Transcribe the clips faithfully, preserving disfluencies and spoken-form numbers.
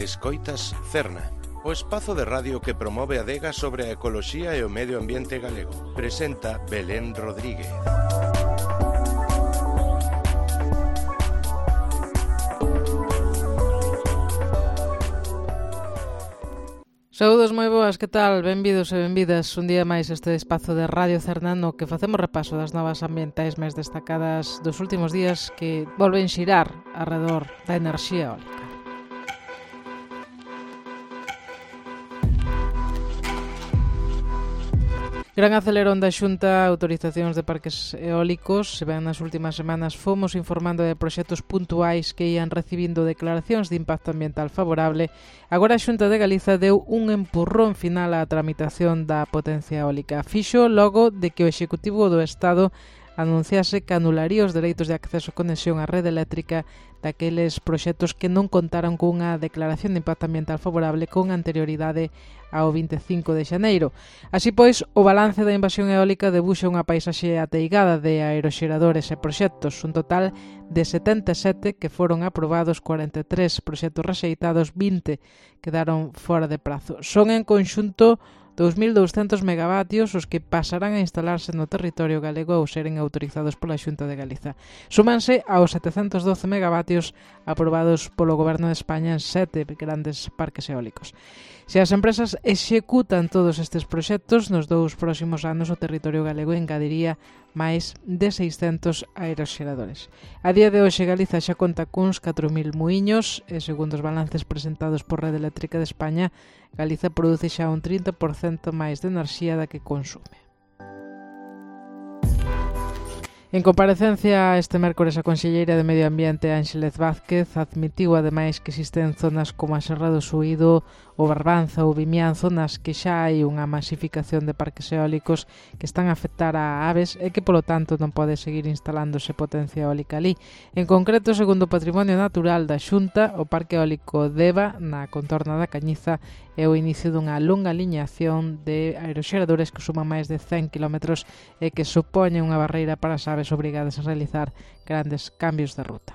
Escoitas Cerna, o espazo de radio que promove a adega sobre a ecoloxía e o medio ambiente galego. Presenta Belén Rodríguez. Saúdos moi boas, que tal? Benvidos e benvidas un día máis este espazo de Radio Cerna no que facemos repaso das novas ambientais máis destacadas dos últimos días que volven xirar arredor da enerxía eólica. Gran acelerón da Xunta, autorizacións de parques eólicos. Se ben nas últimas semanas fomos informando de proxectos puntuais que ian recibindo declaracións de impacto ambiental favorable. Agora a Xunta de Galiza deu un empurrón final á tramitación da potencia eólica. Fixo logo de que o Executivo do Estado anunciase que anularía os dereitos de acceso a conexión á rede eléctrica daqueles proxectos que non contaran cunha declaración de impacto ambiental favorable con anterioridade ao vinte e cinco de xaneiro. Así pois, o balance da invasión eólica debuxa unha paisaxe ateigada de aeroxeradores e proxectos, un total de setenta e sete que foron aprobados, cuarenta e tres proxectos rexeitados, vinte quedaron fora de prazo. Son en conxunto dous mil douscentos megavatios os que pasarán a instalarse no territorio galego ao seren autorizados pola Xunta de Galiza. Súmanse aos setecentos doce megavatios aprobados polo Goberno de España en sete grandes parques eólicos. Se as empresas executan todos estes proxectos, nos dous próximos anos o territorio galego engadiría máis de seiscentos aeroxeradores. A día de hoxe Galiza xa conta cuns catro mil muiños e, segundo os balances presentados por Rede Eléctrica de España, Galiza produce xa un trinta por cento máis de enerxía da que consume. En comparecencia este mércores a conselleira de Medio Ambiente Ánxelez Vázquez admitiu ademais que existen zonas como a Serra do Suído, o Barbanza ou Vimianzo nas que xa hai unha masificación de parques eólicos que están a afectar a aves e que polo tanto non pode seguir instalándose potencia eólica ali. En concreto, segundo o Patrimonio Natural da Xunta, o Parque Eólico Deva, na contorna da Cañiza, é o inicio dunha longa liñación de aeroxeradores que suman máis de cen kilómetros e que supoñen unha barreira para as aves obrigadas a realizar grandes cambios de ruta.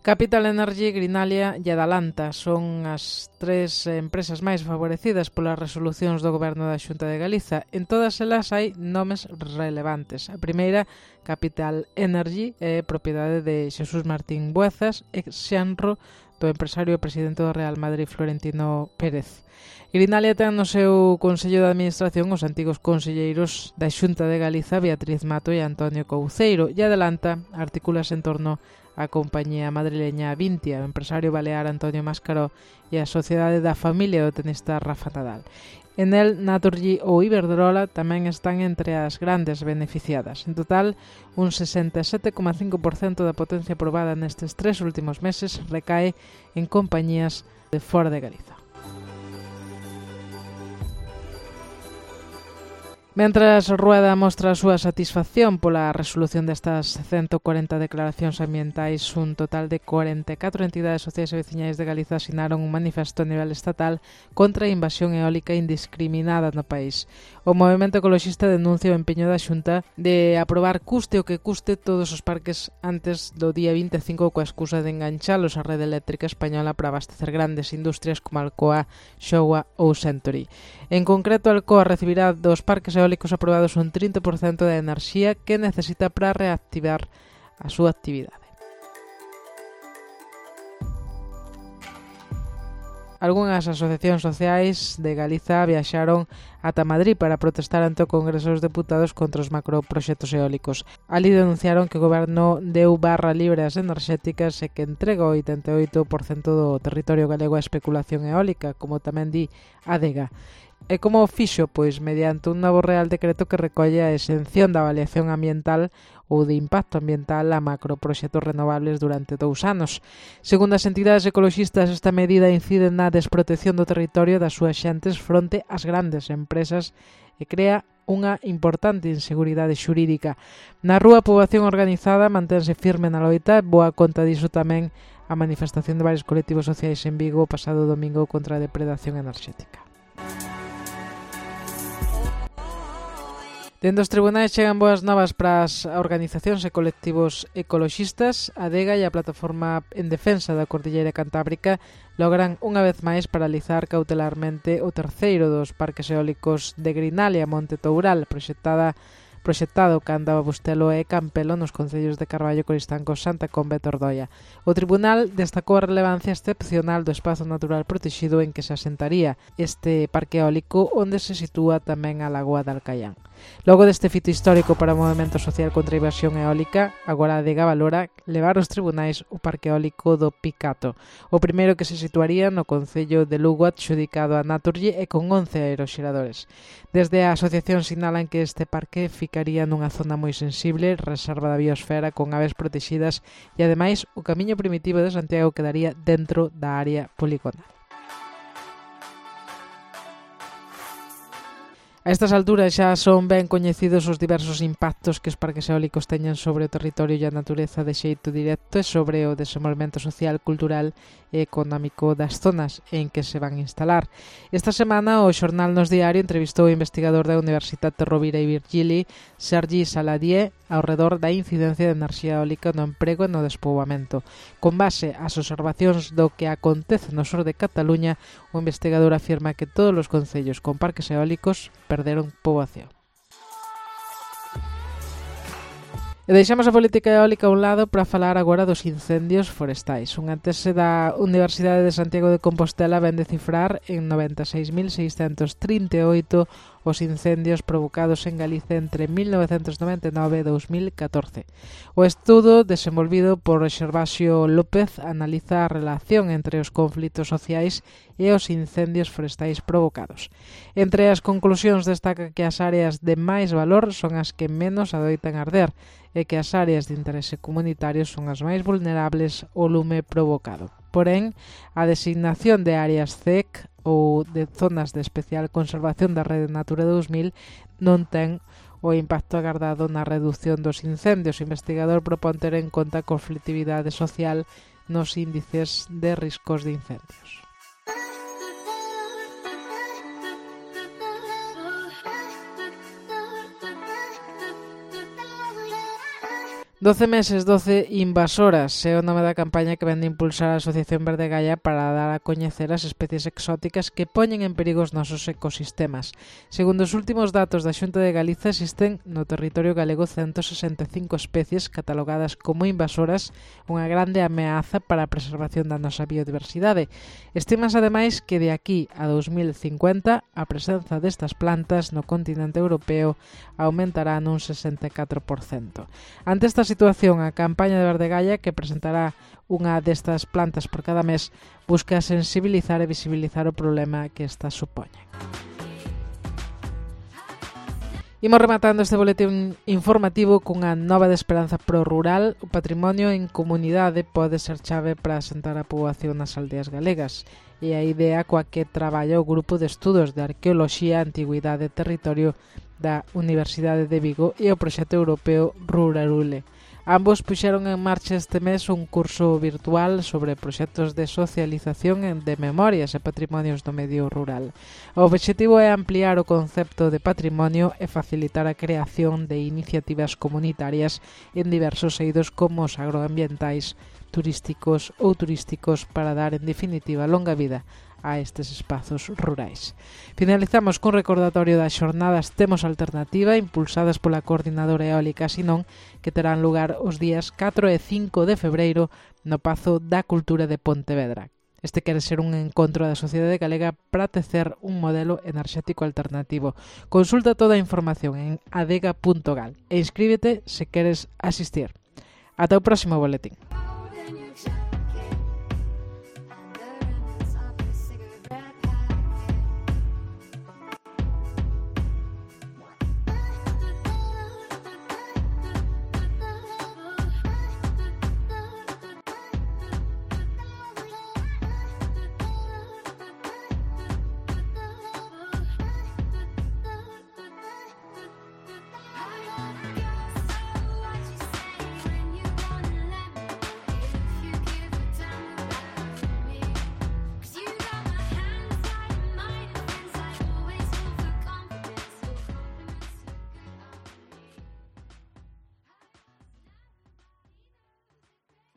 Capital Energy, Greenalia e Adalanta son as tres empresas máis favorecidas polas resolucións do Goberno da Xunta de Galiza. En todas elas hai nomes relevantes. A primeira, Capital Energy, é propiedade de Xesús Martín Buezas, ex-xenro do empresario e presidente do Real Madrid Florentino Pérez. Greenalia ten no seu Consello de Administración os antigos conselleiros da Xunta de Galiza, Beatriz Mato e Antonio Couceiro, e Adalanta articúlase en torno á compañía madrileña Vintia, o empresario balear Antonio Mascaró e a sociedade da familia do tenista Rafa Nadal. En el, Naturgy ou Iberdrola tamén están entre as grandes beneficiadas. En total, un sesenta e sete coma cinco por cento da potencia aprobada nestes tres últimos meses recae en compañías de fora de Galiza. Mentras Rueda mostra a súa satisfacción pola resolución destas ciento cuarenta declaracións ambientais, un total de cuarenta e catro entidades sociais e veciñais de Galiza asinaron un manifesto a nivel estatal contra a invasión eólica indiscriminada no país. O movemento ecoloxista denuncia o empeño da Xunta de aprobar custe o que custe todos os parques antes do día vinte e cinco coa excusa de enganchalos á rede eléctrica española para abastecer grandes industrias como Alcoa, Showa ou Century. En concreto, Alcoa recibirá dos parques eólicos aprobados un trinta por cento da enerxía que necesita para reactivar a súa actividade. Algunhas asociacións sociais de Galiza viaxaron ata Madrid para protestar ante o Congreso dos Deputados contra os macroproxectos eólicos. Ali denunciaron que o Goberno deu barra libre ás enerxéticas e que entrega o oitenta e oito por cento do territorio galego á especulación eólica, como tamén di a Adega. E como fixo? Pois mediante un novo Real Decreto que recolle a exención da avaliación ambiental ou de impacto ambiental a macroproxectos renovables durante dous anos. Segundo as entidades ecoloxistas, esta medida incide na desprotección do territorio das súas xentes fronte ás grandes empresas e crea unha importante inseguridade xurídica. Na rúa, a poboación organizada mantense firme na loita, boa conta diso tamén a manifestación de varios colectivos sociais en Vigo o pasado domingo contra a depredación enerxética. Dende os tribunais chegan boas novas para as organizacións e colectivos ecoloxistas. A Adega e a Plataforma en Defensa da Cordilleira Cantábrica logran unha vez máis paralizar cautelarmente o terceiro dos parques eólicos de Grinal e a Monte Toural, proxectada proxectado cando Bustelo e Campelo nos concellos de Carballo, Coristanco, Santa Comba e Tordoia. O Tribunal destacou a relevancia excepcional do espazo natural protexido en que se asentaría este parque eólico, onde se sitúa tamén a Lagoa de Alcaián. Logo deste fito histórico para o movemento social contra a invasión eólica, agora a Adega valora levar aos tribunais o parque eólico do Picato, o primeiro que se situaría no concello de Lugo, adxudicado a Naturgy e con once aeroxeradores. Desde a asociación sinalan que este parque ficaría nunha zona moi sensible, reserva da biosfera con aves protegidas e, ademais, o camiño primitivo de Santiago quedaría dentro da área poligonal. A estas alturas xa son ben coñecidos os diversos impactos que os parques eólicos teñen sobre o territorio e a natureza de xeito directo e sobre o desenvolvemento social, cultural e económico das zonas en que se van instalar. Esta semana o Xornal Nos Diario entrevistou o investigador da Universidade Rovira e Virgili, Sergi Saladié, ao redor da incidencia de enerxía eólica no emprego e no despoboamento. Con base ás observacións do que acontece no sur de Cataluña, o investigador afirma que todos os concellos con parques eólicos perderon poboación. E deixamos a política eólica a un lado para falar agora dos incendios forestais. Unha tese da Universidade de Santiago de Compostela ven de cifrar en noventa e seis mil seiscentos trinta e oito os incendios provocados en Galicia entre mil novecentos noventa e nove e dos mil catorce. O estudo, desenvolvido por Xervasio López, analiza a relación entre os conflitos sociais e os incendios forestais provocados. Entre as conclusións destaca que as áreas de máis valor son as que menos adoitan arder e que as áreas de interese comunitario son as máis vulnerables ao lume provocado. Porén, a designación de áreas C E C ou de zonas de especial conservación da Rede Natura dos mil non ten o impacto agardado na reducción dos incendios. O investigador propón ter en conta a conflitividade social nos índices de riscos de incendios. doce meses, doce invasoras é o nome da campaña que vende impulsar a Asociación Verde Gaia para dar a coñecer as especies exóticas que poñen en perigo os nosos ecosistemas. Segundo os últimos datos da Xunta de Galiza, existen no territorio galego ciento sesenta e cinco especies catalogadas como invasoras, unha grande ameaza para a preservación da nosa biodiversidade. Estimas, ademais, que de aquí a dos mil cincuenta a presenza destas plantas no continente europeo aumentará nun sesenta e catro por cento. Ante esta situación, a campaña de Verde Gaia, que presentará unha destas plantas por cada mes, busca sensibilizar e visibilizar o problema que estas supoñen. Imos rematando este boletín informativo cunha nova de esperanza pro rural. O patrimonio en comunidade pode ser chave para asentar a poboación nas aldeas galegas, e a idea coa que traballa o Grupo de Estudos de Arqueoloxía, Antigüidade e Territorio da Universidade de Vigo e o proxecto europeo Rurarule. Ambos puxeron en marcha este mes un curso virtual sobre proxectos de socialización de memorias e patrimonios do medio rural. O obxectivo é ampliar o concepto de patrimonio e facilitar a creación de iniciativas comunitarias en diversos eidos como os agroambientais, turísticos ou turísticos para dar, en definitiva, longa vida a estes espazos rurais. Finalizamos cun recordatorio das xornadas Temos Alternativa, impulsadas pola Coordinadora Eólica Sinón, que terán lugar os días catro e cinco de febreiro no Pazo da Cultura de Pontevedra. Este quere ser un encontro da sociedade galega para tecer un modelo enerxético alternativo. Consulta toda a información en adega punto gal e inscríbete se queres asistir. Ata o próximo boletín.